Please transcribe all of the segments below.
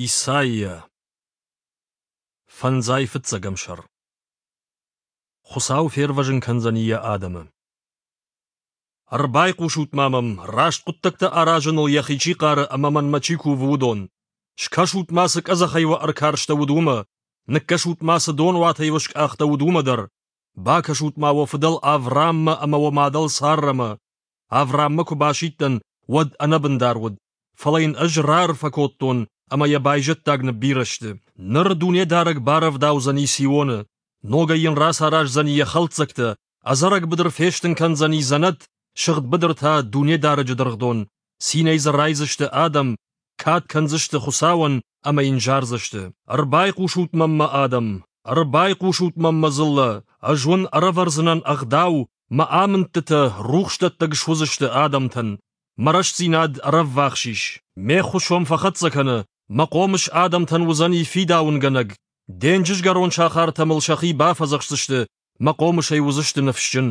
Исайя. Фӕндзай фыццӕгӕм сӕр. Хуыцау фервӕзын кӕндзӕни йӕ адӕмы. Ӕрбайхъусут-ма мӕм, раст хъуыддӕгтӕ аразыныл йӕхи чи хъары ӕмӕ мӕнмӕ чи кувы, уыдон. Скӕсут-ма, цы къӕдзӕхӕй уӕ ӕркарстӕуыд, уымӕ, ныккӕсут-ма, цы донуатӕй уӕ скъахтӕуыд, уымӕ дӕр. Бакӕсут-ма уӕ фыдӕл Аврааммӕ ӕмӕ уӕ мадӕл Саррӕмӕ. Аврааммӕ куы басидтӕн, уӕд ӕнӕбындар уыд, фӕлӕ йын ӕз раарфӕ кодтон, ӕмӕ йӕ байзӕддаг ныббирӕ сты. Ныр Дунедарӕг барӕвдаудзӕни Сионы, ногӕй йын рацараздзӕни йӕ хӕлддзӕгтӕ, ӕдзӕрӕг быдыр фестын кӕндзӕни дзӕнӕт, сыгъд быдыр та Дунедарӕджы дыргъдон, цинӕй дзы райдзысты адӕм, кад кӕндзысты Хуыцауӕн ӕмӕ йын зардзысты. Ӕрбайхъусут мӕм, мӕ адӕм, ӕрбайхъусут мӕм, мӕ дзыллӕ, ӕз уын ӕрӕвӕрдзынӕн ӕгъдау, мӕ амындтытӕ рухсдӕттӕг суыдзысты адӕмтӕн. Мӕ рӕстдзинад ӕрӕввахс ис, ме ххуыс уӕм фӕхӕццӕ кӕны, мӕ хъомыс адӕмтӕн уыдзӕни фидауынгӕнӕг, денджызгӕрон сахартӕ мыл сӕхи бафӕдзӕхсдзысты, мӕ хъомысӕй уыдзысты ныфсджын.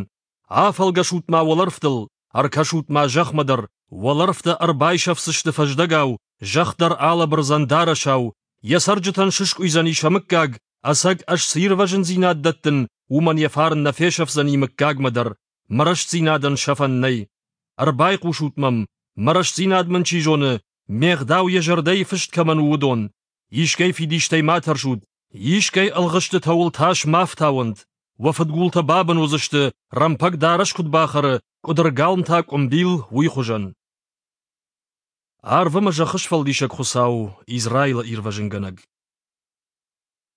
Афӕлгӕсут-ма уӕлӕрвтыл, ӕркӕсут-ма зӕхмӕ дӕр, уӕлӕрвтӕ ӕрбайсӕфдзысты фӕздӕгау, зӕхх дӕр алӕбырдзӕн дарӕсау, йӕ цӕрджытӕн сыскъуыйдзӕни сӕ мыггаг, ӕцӕг ӕз цы ирвӕзындзинад дӕттын, уымӕн йӕ фарн нӕ фесӕфдзӕни мыггагмӕ дӕр, мӕ рӕстдзинадӕн сӕфӕн нӕй. Ӕрбайхъусут мӕм, мӕ рӕстдзинад мын чи зоны, ме гъдау йӕ зӕрдӕйы фыст кӕмӕн у, уыдон. Искӕй фидистӕй ма тӕрсут, искӕй ӕлгъыстытӕ уыл тас ма фтауӕнт. Уӕ фыдгултӕ бабын уыдзысты, рӕмпӕг дарӕс куыд бахӕры, къуыдыргалм та къуымбил, уый хуызӕн. Арв ӕмӕ зӕххы сфӕлдисӕг Хуыцау, Израилы ирвӕзынгӕнӕг.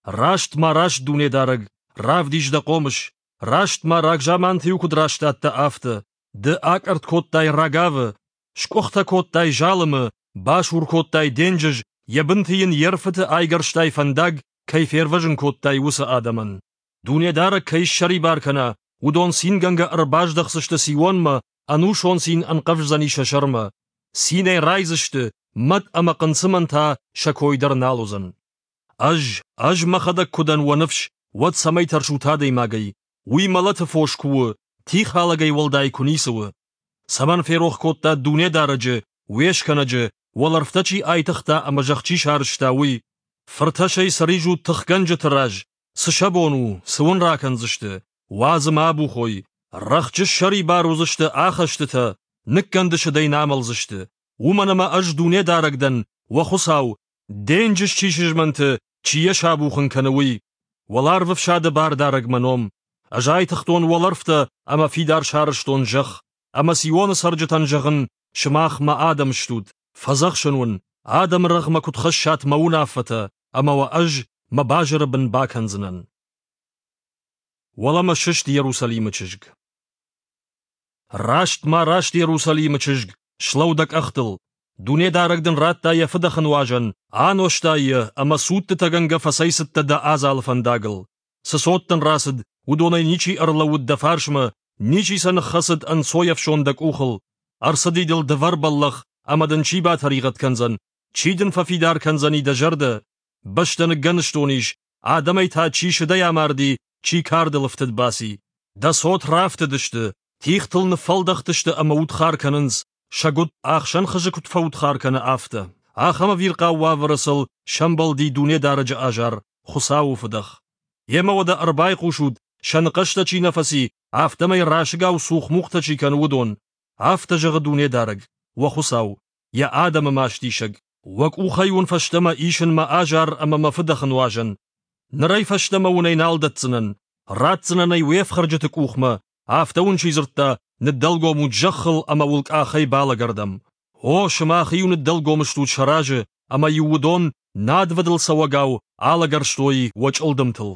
Раст ма раст, Дунедарӕг, равдис дӕ хъомыс, раст ма рагзаманты-иу куыд растадтӕ, афтӕ. Ды акъӕртт кодтай Рагавы, скъуыхтӕ кодтай залымы, басур кодтай денджыз, йӕ бынты йын йе рфыты айгӕрстай фӕндаг, кӕй фервӕзын кодтай, уыцы адӕмӕн. Дунедарӕг кӕй ссӕрибар кӕна, уыдон цингӕнгӕ ӕрбаздӕхдзысты Сионмӕ, ӕнусон цин ӕнхъӕвздзӕни сӕ сӕрмӕ. Цинӕй райдзысты, мӕт ӕмӕ хъынцъымӕн та сӕ кой дӕр нал уыдзӕн. Ӕз, ӕз мӕхӕдӕг куы дӕн уӕ ныфс, уӕд цӕмӕй тӕрсут адӕймагӕй? Уый мӕлӕты фос куы у, тихалӕгӕй уӕлдай куы ницы у. Цӕмӕн ферох кодта Дунедарӕджы, уе скӕнӕджы, уӕлӕрвтӕ чи айтыгъта ӕмӕ зӕхх чи сарӕзта, уый? Фыртӕсӕй цы ризут тыхгӕнджыты раз, цы сӕ бон у, цы уын ракӕндзысты? Уадз ӕмӕ абухой. Рӕхджы ссӕрибар уыдзысты ахӕстытӕ, ныккӕнды сыдӕй нӕ амӕлдзысты. Уымӕн ӕмӕ ӕз Дунедарӕг дӕн, уӕ Хуыцау, денджыз чи сызмӕнты, чи йӕ сабухын кӕны, уый. Уӕларвы фсады бардарӕг мӕ ном. Ӕз айтыгътон уӕлӕрвтӕ ӕмӕ фидар сарӕзтон зӕхх. Ӕмӕ Сионы цӕрджытӕн зӕгъын, сымах мӕ адӕм стут, фӕдзӕхсын уын, адӕмы рӕгъмӕ куыд хӕссат мӕ уынаффӕтӕ, ӕмӕ уӕ ӕз мӕ базыры бын бакӕндзынӕн. Уӕлӕмӕ сыст Иерусалимы чызг. Раст ма раст Иерусалимы чызг, слӕуу дӕ къӕхтыл. Дунедарӕг дын радта йӕ фыдӕхы нуазӕн, анозтай йӕ ӕмӕ цудтытӕгӕнгӕ фӕцӕйцыдтӕ дӕ адзалы фӕндагыл. Цы цот дын рацыд, уыдонӕй ничи ӕрлӕууыд дӕ фарсмӕ, ничи сӕ ныххӕцыд ӕнцойӕфсон дӕ къухыл. Ӕрцыди дыл дывӕр бӕллӕх, ӕмӕ дын чи батӕригъӕд кӕндзӕн, чи дын фӕфидар кӕндзӕни дӕ зӕрдӕ? Бӕстӕ ныггӕныстон ис, адӕмӕй та чи сыдӕй амарди, чи кардыл ӕфтыд баци. Дӕ цот рафтыдысты, тигътыл ныффӕлдӕхтысты ӕмӕ удхар кӕнынц, сӕгуыт ӕхсӕн хызы куыд фӕудхар кӕны, афтӕ. Ахӕм ӕвирхъау уавӕры сыл сӕмбӕлди Дунедарӕджы азар, Хуыцауы фыдӕх. Йемӕ уӕдӕ ӕрбайхъусут, сӕ ныхъӕстӕ чи нӕ фӕци, афтӕмӕй расыгау цух-мухтӕ чи кӕны, уыдон. Афтӕ зӕгъы Дунедарӕг, уӕ Хуыцау, йӕ адӕмы мастисӕг. Уӕ къухӕй уын фӕстӕмӕ исын мӕ азар ӕмӕ мӕ фыдӕхы нуазӕн. Нырӕй фӕстӕмӕ уын ӕй нал дӕтдзынӕн, ратдзынӕн ӕй уе фхӕрджыты къухмӕ, афтӕ уын чи дзырдта, ныддӕлгом ут зӕххыл ӕмӕ уыл къахӕй балӕгӕрдӕм. О, сымах-иу ныддӕлгом стут сӕ разы, ӕмӕ-иу уыдон, надвӕдыл цӕуӕгау, алӕгӕрстой уӕ чъылдымтыл.